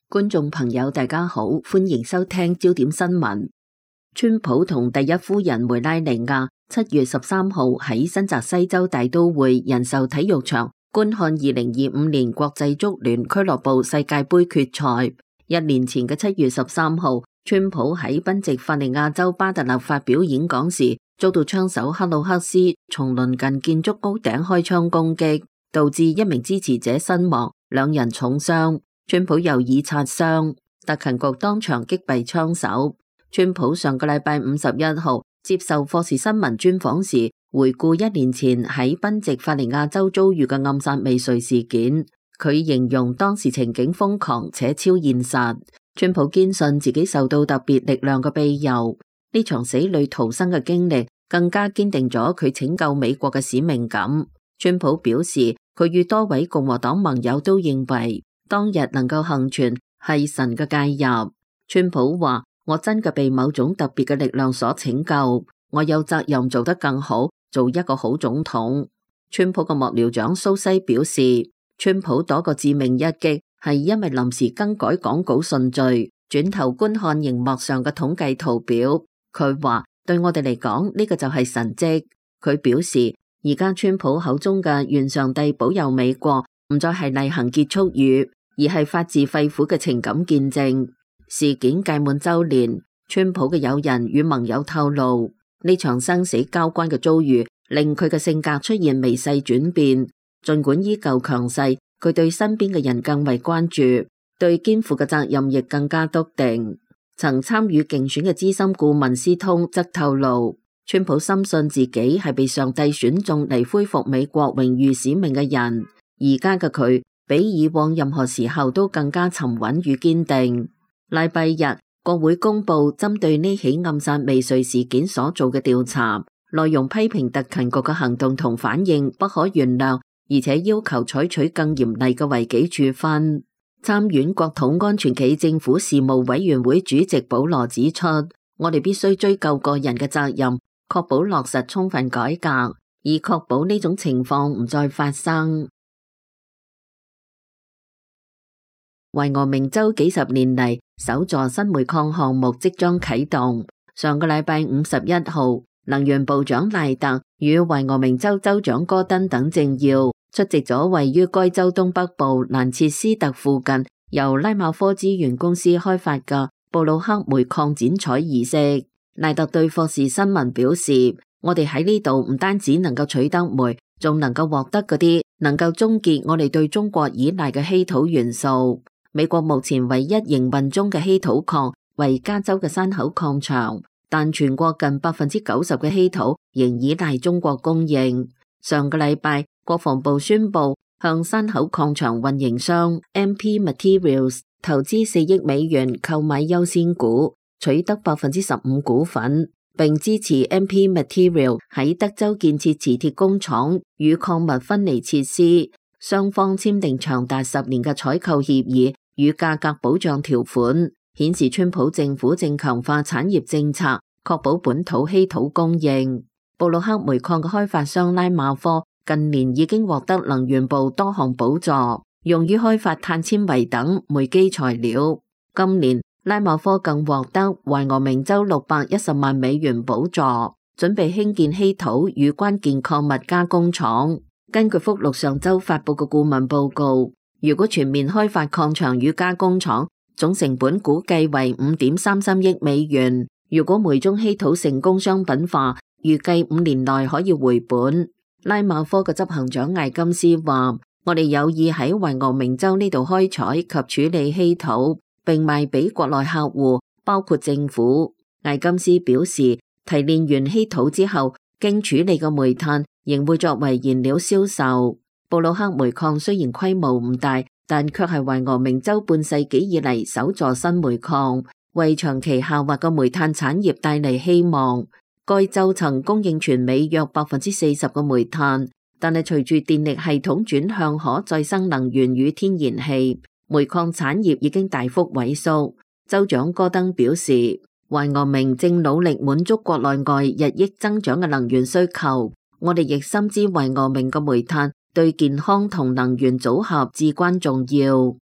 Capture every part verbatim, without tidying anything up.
觀眾朋友大家好，歡迎收聽焦點新聞。川普同第一夫人梅拉尼亞七月十三號喺新澤西州大都會人壽體育場觀看二零二五年國際足聯俱樂部世界盃決賽。一年前嘅七月十三號，川普喺賓夕法尼亞州巴特勒發表演講時，遭到槍手克魯克斯從鄰近建築屋頂開槍攻擊，導致一名支持者身亡，兩人重傷。川普又以擦傷，特勤局當場擊斃槍手。川普上個禮拜五十一號接受霍士新聞專訪時，回顧一年前喺賓夕法尼亞州遭遇嘅暗殺未遂事件。佢形容當時情景瘋狂且超現實。川普堅信自己受到特別力量嘅庇佑，呢場死裏逃生嘅經歷更加堅定咗佢拯救美國嘅使命感。川普表示，佢與多位共和黨盟友都認為，當日能夠幸存係神嘅介入。川普話：我真嘅被某種特別嘅力量所拯救，我有責任做得更好，做一個好總統。川普嘅幕僚長蘇西表示，川普躲個致命一擊係因為臨時更改講稿順序，轉頭觀看熒幕上嘅統計圖表。佢話：對我哋嚟講，呢個就係神蹟。佢表示，而家川普口中嘅願上帝保佑美國，唔再係例行結束語，而係發自肺腑嘅情感見證。事件屆滿周年，川普嘅友人與盟友透露，呢場生死交關嘅遭遇令佢嘅性格出現微細轉變。盡管依舊強勢，佢對身邊嘅人更為關注，對肩負嘅責任亦更加篤定。曾參與競選嘅資深顧問斯通則透露，川普深信自己係被上帝選中嚟恢復美國榮譽使命嘅人。而家嘅佢比以往任何時候都更加沉穩與堅定。禮拜日，國會公布針對呢起暗殺未遂事件所做嘅調查，內容批評特勤局嘅行動同反應不可原諒，而且要求採取更嚴厲嘅違紀處分。參院國土安全暨政府事務委員會主席保羅指出，我哋必須追究個人嘅責任，確保落實充分改革，以確保呢種情況唔再發生。懷俄明州幾十年嚟首座新煤礦項目即將啟動。上個禮拜五十一號，能源部長賴特與懷俄明州州長戈登等政要出席咗位於該州東北部蘭切斯特附近由拉馬科資源公司開發嘅布魯克煤礦剪採儀式。賴特對霍士新聞表示：我哋喺呢度唔單止能夠取得煤，仲能夠獲得嗰啲能夠終結我哋對中國依賴嘅稀土元素。美國目前唯一營運中嘅稀土礦為加州嘅山口礦場，但全國近百分之九十嘅稀土仍依賴中國供應。上個禮拜，國防部宣布向山口礦場運營商 M P Materials 投資四億美元購買優先股，取得百分之十五股份，並支持 M P Materials 喺德州建設磁鐵工廠與礦物分離設施。雙方簽訂長達十年嘅採購協議與價格保障條款，顯示川普政府正強化產業政策，確保本土稀土供應。布魯克煤礦嘅開發商拉馬科近年已經獲得能源部多項補助，用於開發碳纖維等煤基材料。今年拉馬科更獲得懷俄明州六百一十萬美元補助，準備興建稀土與關鍵礦物加工廠。根據福祿上周發佈嘅顧問報告，如果全面開發礦場與加工廠，總成本估計為五點三三億美元。如果煤中稀土成功商品化，預計五年內可以回本。拉馬科嘅執行長艾金斯話：我哋有意喺懷俄明州呢度開採及處理稀土，並賣俾國內客戶，包括政府。艾金斯表示，提煉完稀土之後，經處理嘅煤炭仍會作為燃料銷售。布魯克煤礦雖然規模唔大，但卻係懷俄明州半世紀以嚟首座新煤礦，為長期下滑嘅煤炭產業帶嚟希望。該州曾供應全美約百分之四十嘅煤炭，但係隨住電力系統轉向可再生能源與天然氣，煤礦產業已經大幅萎縮。州長戈登表示，懷俄明正努力滿足國內外日益增長嘅能源需求。我哋亦深知懷俄明嘅煤炭對健康同能源組合至關重要。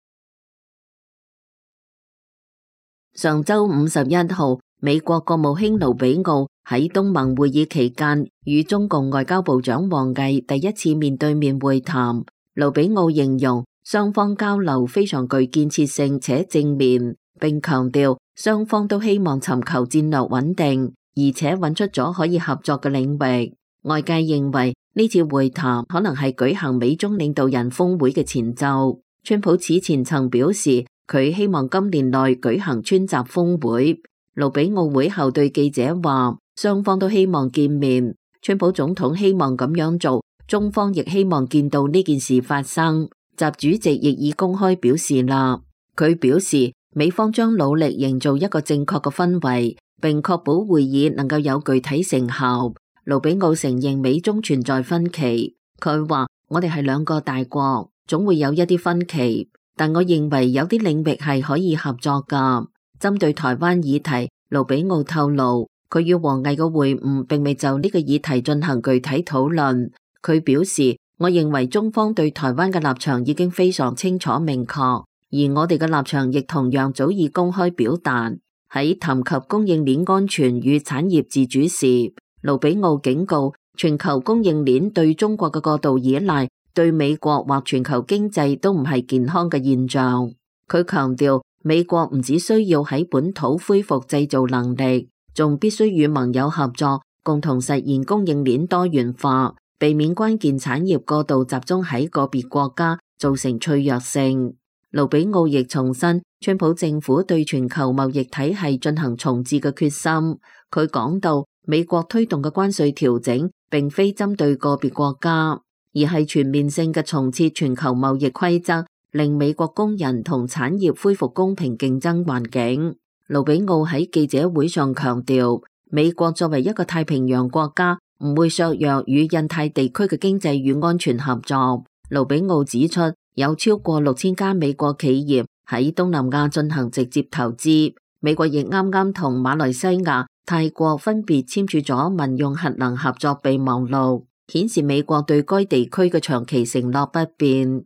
上周五十一號，美國國務卿盧比奧喺東盟會議期間與中共外交部長王毅第一次面對面會談。盧比奧形容雙方交流非常具建設性且正面，並強調雙方都希望尋求戰略穩定，而且揾出咗可以合作嘅領域。外界認為呢次會談可能係舉行美中領導人峰會嘅前奏。川普此前曾表示，佢希望今年內舉行川習峰會。盧比奧會後對記者話，雙方都希望見面，川普總統希望咁樣做，中方亦希望見到呢件事發生。習主席亦已公開表示啦，佢表示美方將努力營造一個正確嘅氛圍，並確保會議能夠有具體成效。盧比奧承認美中存在分歧，佢話我哋係兩個大國，總會有一啲分歧，但我認為有啲領域係可以合作噶。針對台灣議題，盧比奧透露，佢與王毅嘅會晤並未就呢個議題進行具體討論。佢表示，我認為中方對台灣嘅立場已經非常清楚明確，而我哋嘅立場亦同樣早已公開表達。喺談及供應鏈安全與產業自主時，盧比奧警告，全球供應鏈對中國嘅過度依賴，對美國或全球經濟都唔係健康嘅現象。佢強調，美國唔只需要喺本土恢復製造能力，仲必須與盟友合作，共同實現供應鏈多元化，避免關鍵產業過度集中喺個別國家，造成脆弱性。盧比奧亦重申，川普政府對全球貿易體系進行重置嘅決心。佢講到，美國推動嘅關稅調整，並非針對個別國家，而係全面性嘅重設全球貿易規則，令美國工人同產業恢復公平競爭環境。盧比奧喺記者會上強調，美國作為一個太平洋國家，唔會削弱與印太地區嘅經濟與安全合作。盧比奧指出，有超過六千家美國企業喺東南亞進行直接投資，美國亦啱啱同馬來西亞、泰國分別簽署咗民用核能合作備忘錄，顯示美國對該地區嘅長期承諾不變。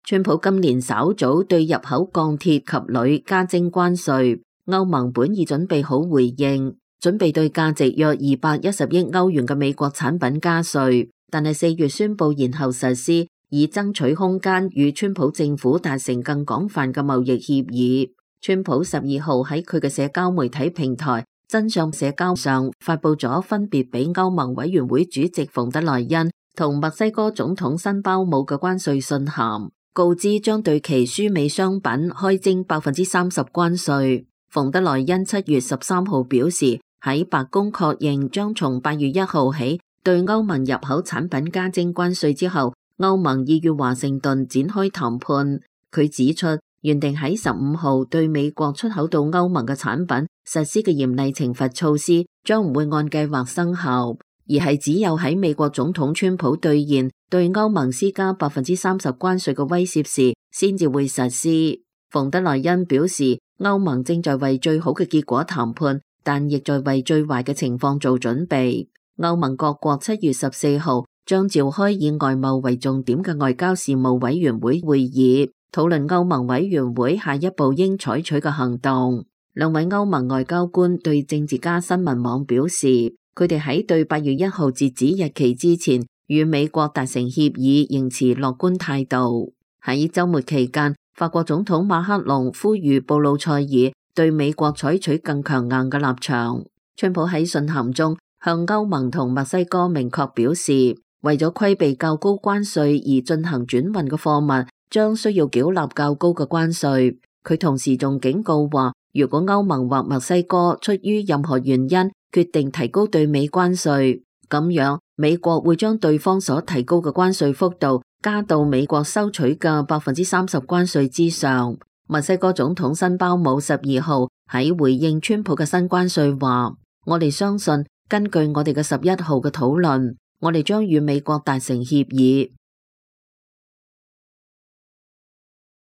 川普今年稍早對入口鋼鐵及鋁加徵關稅，歐盟本已準備好回應，準備對價值約二百一十億歐元嘅美國產品加稅，但係四月宣布延後實施，以爭取空間與川普政府達成更廣泛嘅貿易協議。川普十二號喺佢嘅社交媒體平台真相社交上發佈咗分別俾歐盟委員會主席馮德萊恩同墨西哥總統辛包姆嘅關稅信函，告知將對其輸美商品開徵百分之三十關稅。馮德萊恩七月十三號表示，喺白宮確認將從八月一號起對歐盟入口產品加徵關稅之後，歐盟已與華盛頓展開談判。佢指出，原定喺十五號對美國出口到歐盟嘅產品實施嘅嚴厲懲罰措施，將唔會按計劃生效，而係只有喺美國總統川普兌現對歐盟施加百分之三十關稅嘅威脅時，先至會實施。馮德萊恩表示，歐盟正在為最好嘅結果談判，但亦在為最壞嘅情況做準備。歐盟各國七月十四號將召開以外貿為重點嘅外交事務委員會會議，討論歐盟委員會下一步應採取嘅行動。兩位歐盟外交官對政治家新聞網表示，佢哋喺對八月一號截止日期之前與美國達成協議，仍持樂觀態度。喺周末期間，法國總統馬克龍呼籲布魯塞爾對美國採取更強硬嘅立場。川普喺信函中向歐盟同墨西哥明確表示，為咗規避較高關稅而進行轉運嘅貨物，將需要繳納較高嘅關稅。佢同時仲警告話，如果歐盟或墨西哥出於任何原因決定提高對美關稅，咁樣美國會將對方所提高嘅關稅幅度加到美國收取嘅百分之三十關稅之上。墨西哥總統辛包姆十二號喺回應川普嘅新關稅話，我哋相信根據我哋嘅十一號嘅討論，我哋將與美國達成協議。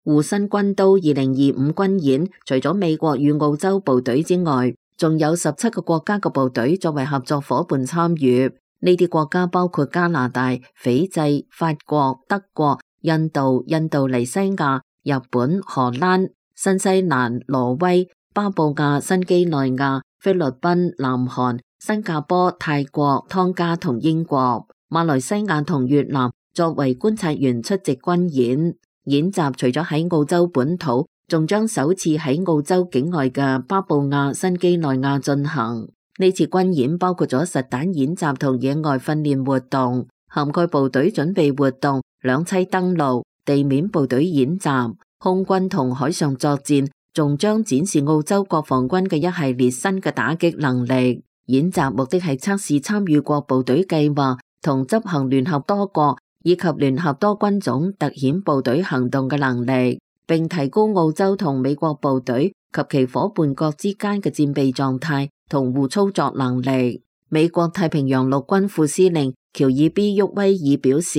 護身軍刀二零二五軍演，除咗美國與澳洲部隊之外，仲有十七個國家嘅部隊作為合作夥伴參與。呢啲國家包括加拿大、斐濟、法國、德國、印度、印度尼西亞、日本、荷蘭、新西蘭、挪威、巴布亞新幾內亞、菲律賓、南韓、新加坡、泰國、湯加同英國、馬來西亞同越南作為觀察員出席軍演。演習除咗喺澳洲本土，仲將首次喺澳洲境外嘅巴布亞新幾內亞進行。呢次軍演包括咗實彈演習同野外訓練活動，涵蓋部隊準備活動、兩棲登陸、地面部隊演習、空軍同海上作戰，仲將展示澳洲國防軍嘅一系列新嘅打擊能力。演習目的係測試參與國部隊計劃同執行聯合多國以及聯合多軍種特遣部隊行動嘅能力，並提高澳洲同美國部隊及其夥伴國之間嘅戰備狀態同互操作能力。美國太平洋陸軍副司令喬爾 B 沃威爾表示，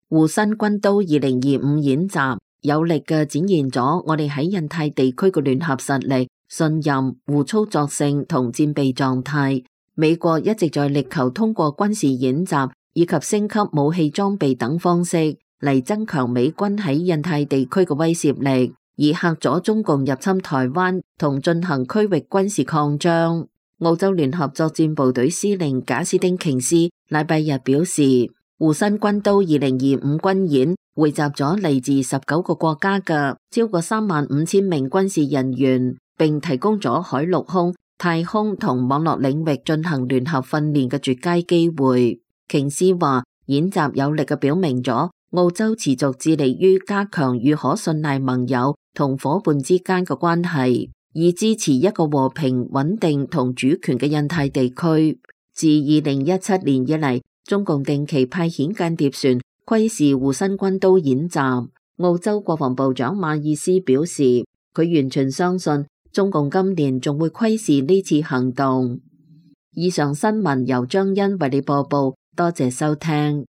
護身軍刀二零二五演習有力嘅展現咗我哋喺印太地區嘅聯合實力、信任、互操作性同戰備狀態。美國一直在力求通過軍事演習以及升級武器裝備等方式嚟增強美軍喺印太地區嘅威懾力，以嚇阻中共入侵台灣同進行區域軍事擴張。澳洲聯合作戰部隊司令賈斯汀瓊斯禮拜日表示，護身軍刀二零二五軍演匯集咗嚟自十九個國家嘅超過三萬五千名軍事人員，並提供咗海陸空、太空同網絡領域進行聯合訓練嘅絕佳機會。瓊斯話，演習有力嘅表明咗澳洲持續致力於加強與可信賴盟友同夥伴之間嘅關係，以支持一個和平、穩定同主權嘅印太地區。自二零一七年以嚟，中共定期派遣間諜船窺視護身軍刀演習。澳洲國防部長馬爾斯表示，佢完全相信中共今年仲會窺視呢次行動。以上新聞由張欣為你播報，多謝收聽。